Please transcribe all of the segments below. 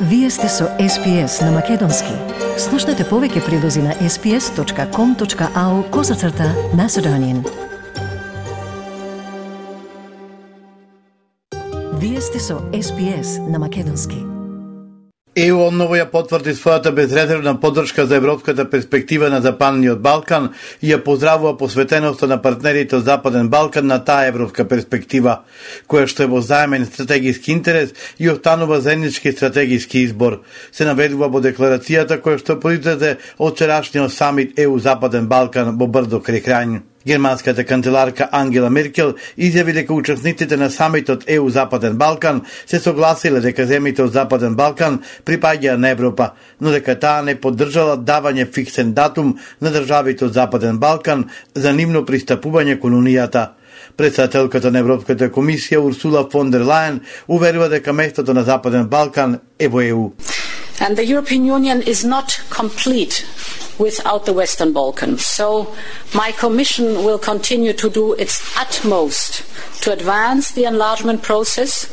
Вие сте со SPS на Македонски. Слушнете повеќе прилози на sps.com.au/Macedonian. Вие сте со SPS на Македонски. ЕУ одново ја потврди својата безрезервна поддршка за европската перспектива на Западниот Балкан и ја поздравува посветеноста на партнерите од Западен Балкан на таа европска перспектива, која што е во заемен стратегиски интерес и останува заеднички стратегиски избор, се наведува во декларацијата која што произлезе од вчерашниот самит ЕУ Западен Балкан во Брдо крај Крањ. Германската канцеларка Ангела Меркел изјави дека учесниците на самитот ЕУ Западен Балкан се согласиле дека земјите од Западен Балкан припаѓаат на Европа, но дека таа не поддржала давање фиксен датум на државите од Западен Балкан за нивно пристапување кон Унијата. Председателката на Европската комисија Урсула фон дер Лајен уверува дека местото на Западен Балкан е во ЕУ. And the European Union is not complete without the Western Balkans. So my Commission will continue to do its utmost to advance the enlargement process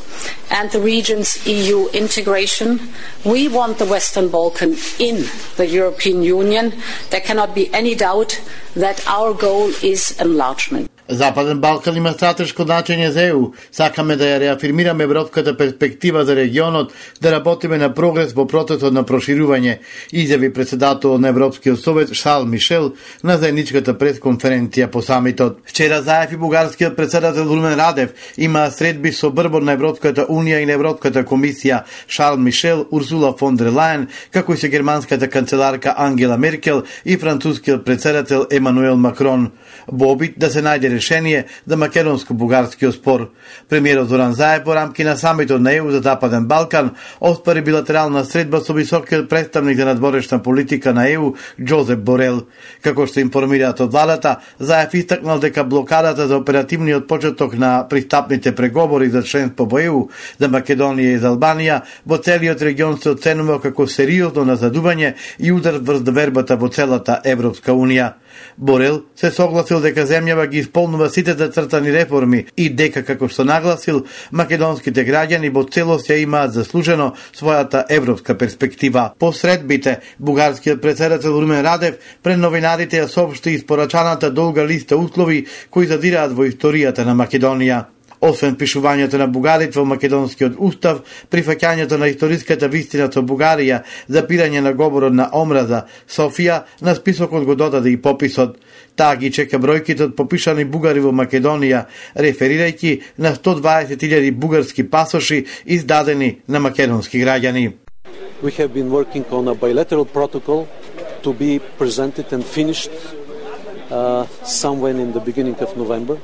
and the region's EU integration. We want the Western Balkan in the European Union. There cannot be any doubt that our goal is enlargement. Западен Балкан има стратешко значење за ЕУ. Сакаме да ја реафирмираме европската перспектива за регионот, да работиме на прогрес во процесот на проширување, изјави председателот на Европскиот совет Шарл Мишел на заедничката пресконференција по самитот. Вчера заев и бугарскиот председател Румен Радев има средби со брбор на Европската унија и на Европската комисија Шарл Мишел, Урсула фон дер Лајен, како и со германската канцеларка Ангела Меркел и францускиот председател Емануел Макрон, во обид да се најде решение за македонско-бугарскиот спор. Премиерот Зоран Заев во рамки на самитот на ЕУ за Западен Балкан оспари билатерална средба со високиот представник за надворешна политика на ЕУ Джозеп Борел. Како што информираат од владата, Заев истакнал дека блокадата за оперативниот почеток на пристапните преговори за членство во ЕУ за Македонија и за Албанија во целиот регион се оценува како сериозно назадување и удар врз довербата во целата Европска унија. Борел се согласил дека земјава ги исполнува сите зацртани реформи и дека, како што нагласил, македонските граѓани во целост ја имаат заслужено својата европска перспектива. По средбите, бугарскиот председател Румен Радев пред новинарите ја соопшти испорачаната долга листа услови кои задираат во историјата на Македонија. Освен пишувањето на бугарите во македонскиот устав, прифаќањето на историската вистина со Бугарија, запирање на говорот на омраза, Софија на списокот го додаде и пописот. Таа ги чека бројките од попишани бугари во Македонија, реферирајќи на 120.000 бугарски пасоши издадени на македонски граѓани. We have been working on a bilateral protocol to be presented and finished somewhere in the beginning of November.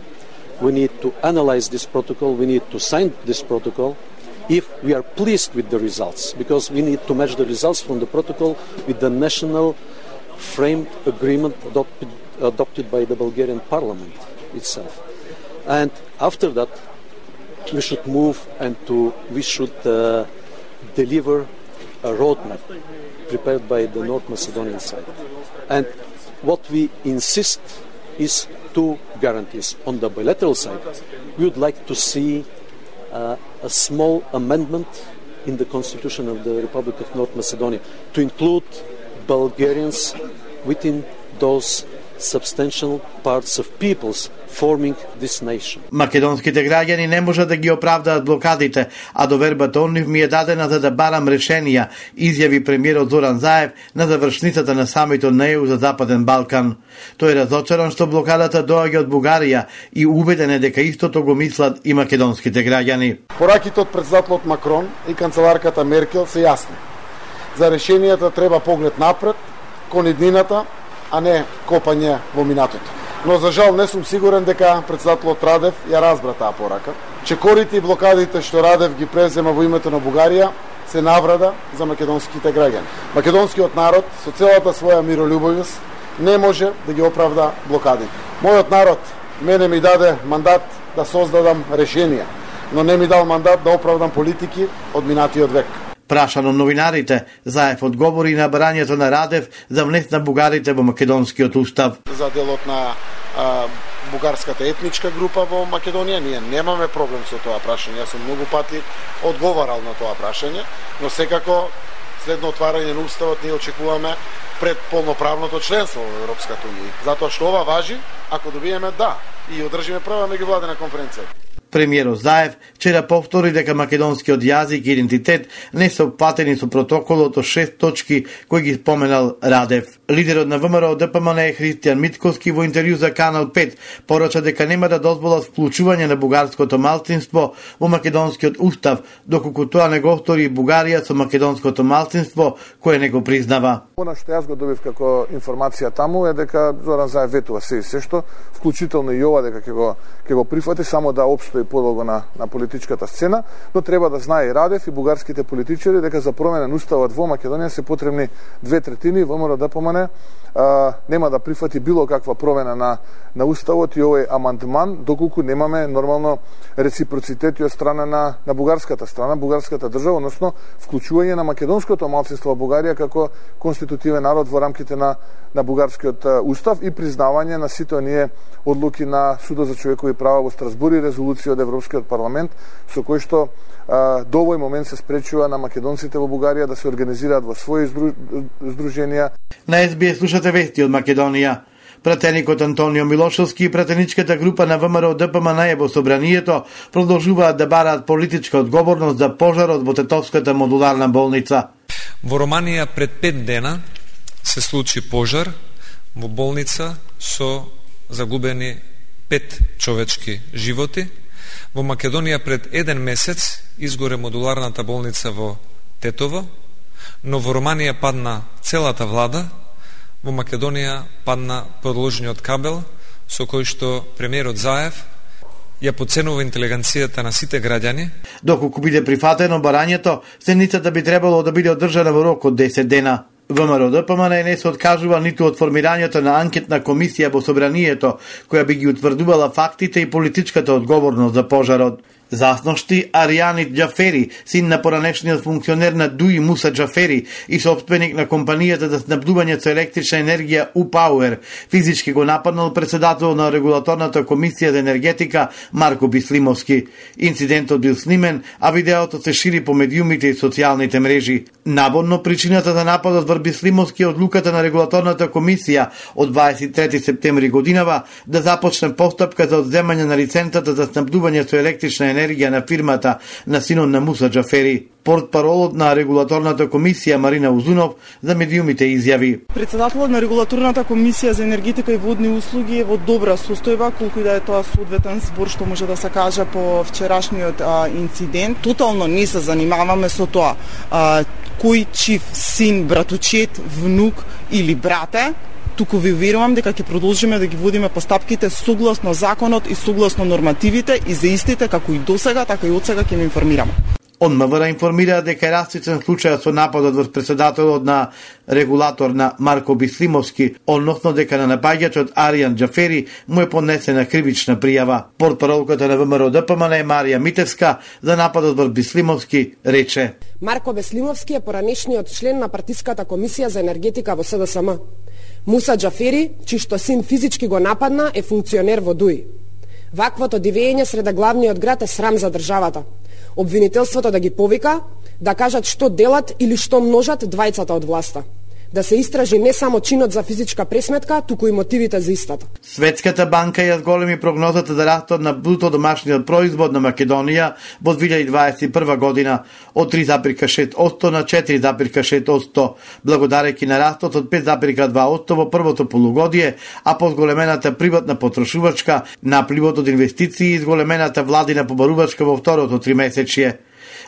We need to analyze this protocol, we need to sign this protocol if we are pleased with the results, because we need to match the results from the protocol with the national frame agreement adopted by the Bulgarian parliament itself. And after that, we should move and we should deliver a roadmap prepared by the North Macedonian side. And what we insist is two guarantees. On the bilateral side, we would like to see a small amendment in the constitution of the Republic of North Macedonia to include Bulgarians within those substantial parts of peoples forming this nation. Македонските граѓани не можат да ги оправдаат блокадите, а довербата од нив ми е дадена за да барам решенија, изјави премиерот Зоран Заев на завршницата на самитот на ЕУ за Западен Балкан. Тој е разочаран што блокадата доаѓа од Бугарија и убеден е дека истото го мислат и македонските граѓани. Пораките од председателот Макрон и канцеларката Меркел се јасни. За решенијата треба поглед напред, кон иднината, а не копање во минатото. Но за жал не сум сигурен дека председателот Радев ја разбра таа порака. Чекорите и блокадите што Радев ги презема во името на Бугарија се наврада за македонските граѓани. Македонскиот народ со целата своја миролюбовност не може да ги оправда блокадите. Мојот народ мене ми даде мандат да создадам решенија, но не ми дал мандат да оправдам политики од минатиот век. Прашан од новинарите, Заев одговори на барањето на Радев за внес на бугарите во македонскиот устав. За делот на бугарската етничка група во Македонија. Ние немаме проблем со тоа прашање. Јас сум многу пати одговарал на тоа прашање, но секако следно отварање на уставот ние очекуваме пред полноправното членство во Европската унија. Затоа што ова важи, ако добиеме да и одржиме прва меѓувладена конференција. Премиерот Заев вчера повтори дека македонскиот јазик и идентитет не се опфатени со протоколот од 6 точки кои ги споменал Радев. Лидерот на ВМРО ДПМН Христијан Митковски во интервју за Канал 5 порача дека нема да дозволат вклучување на бугарското малцинство во македонскиот устав, доколку тоа не го стори Бугарија со македонското малцинство кое не го признава. Она што јас го добив како информација таму е дека Зоран Заев ветува се што, вклучително и ова дека ќе го прифати само да опстои подолго на политичката сцена, но треба да знае и Радев и бугарските политичари дека за промена на уставот во Македонија се потребни 2/3 ВМРО ДПМН нема да прифати било каква промена на уставот и овој амандман доколку немаме нормално реципроцитет од страна на бугарската страна, бугарската држава, односно вклучување на македонското малцинство во Бугарија како конститутивен народ во рамките на бугарскиот устав и признавање на сите оние одлуки на Судот за човекови права во Страсбур и резолуција од Европскиот парламент со кој што до овој момент се спречува на македонците во Бугарија да се организираат во своји здруженија. На СБС слушате вести од Македонија. Пратеникот Антонио Милошевски и пратеничката група на ВМРО ДПМН во собранието продолжуваат да бараат политичка одговорност за пожарот во Тетовската модуларна болница. Во Романија пред 5 дена се случи пожар во болница со загубени 5 човечки животи. Во Македонија пред 1 месец изгоре модуларната болница во Тетово, но во Романија падна целата влада, во Македонија падна продолжениот кабел со кој што премиерот Заев ја подценува интелигенцијата на сите граѓани. Доколку биде прифатено барањето, седницата би требало да биде одржана во рок од 10 дена. ВМРО ДПМН не се откажува ниту од формирањето на анкетна комисија во собранието, која би ги утврдувала фактите и политичката одговорност за пожарот. Засношти Аријанит Џафери, син на поранешниот функционер на ДУИ Муса Џафери и собственик на компанијата за снабдување со електрична енергија УПауер, физички го нападнал председател на регулаторната комисија за енергетика Марко Бислимовски. Инцидентот бил снимен, а видеото се шири по медиумите и социјалните мрежи. Наборно причината за нападот врз Бислимовски е одлуката на регулаторната комисија од 23 септември годинава да започне постапка за одземање на лиценцата за снабдување со електрична енергија на фирмата на синот на Муса Џафери. Портпаролот на регулаторната комисија Марина Узунов за медиумите изјави: Председателот на регулаторната комисија за енергетика и водни услуги е во добра состојба, колку и да е тоа соодветен збор што може да се каже по вчерашниот инцидент. Тотално не се занимаваме со тоа кој чив син, братучет, внук или брате. Туку ви уверувам дека ќе продолжиме да ги водиме постапките согласно законот и согласно нормативите и за истите како и досега, така и одсега ќе ме информираме. Од МВР информира дека е растичен случајот со нападот врз председателот на регулатор на Марко Бислимовски, односно дека на напаѓачот Аријан Џафери му е поднесена кривична пријава. Портпаролката на ВМРО ДПМН Марија Митевска за нападот врз Бислимовски рече: Марко Бислимовски е поранешниот член на партиската комисија за енергетика во СДСМ. Муса Џафери, чишто син физички го нападна, е функционер во ДУИ. Ваквото дивење среда главниот град е срам за државата. Обвинителството да ги повика, да кажат што делат или што множат двајцата од власта. Да се истражи не само чинот за физичка пресметка, туку и мотивите за истата. Светската банка ја зголеми прогнозата за растот на бруто домашниот производ на Македонија во 2021 година од 3,6% на 4,6%, благодарејќи на растот од 5,2% во првото полугодие, а по зголемената приватна потрошувачка, напливот од инвестиции и зголемената владина побарувачка во второто тримесечје.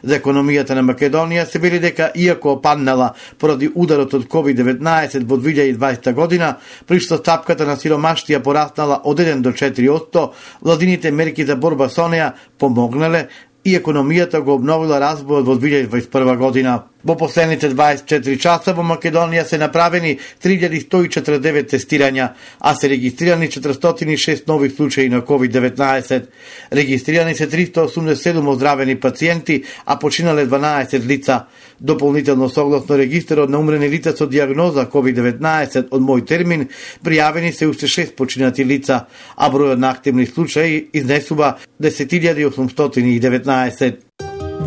За економијата на Македонија се вели дека иако опаднала поради ударот од COVID-19 во 2020 година, при што стапката на сиромаштија пораснала од 1 до 4%, владините мерки за борба со неа помогнале и економијата го обновила развојот во 2021 година. Во последните 24 часа во Македонија се направени 3149 тестирања, а се регистрирани 406 нови случаи на COVID-19. Регистрирани се 387 оздравени пациенти, а починале 12 лица. Дополнително согласно регистарот на умрени лица со диагноза COVID-19 од мој термин, пријавени се уште 6 починати лица, а бројот на активни случаи изнесува 10.819.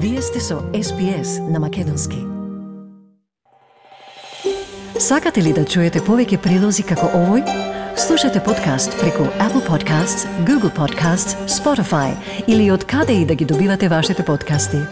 Вие сте со SPS на Македонски. Сакате ли да чуете повеќе прилози како овој? Слушате подкаст преку Apple Podcasts, Google Podcasts, Spotify или од каде и да ги добивате вашите подкасти.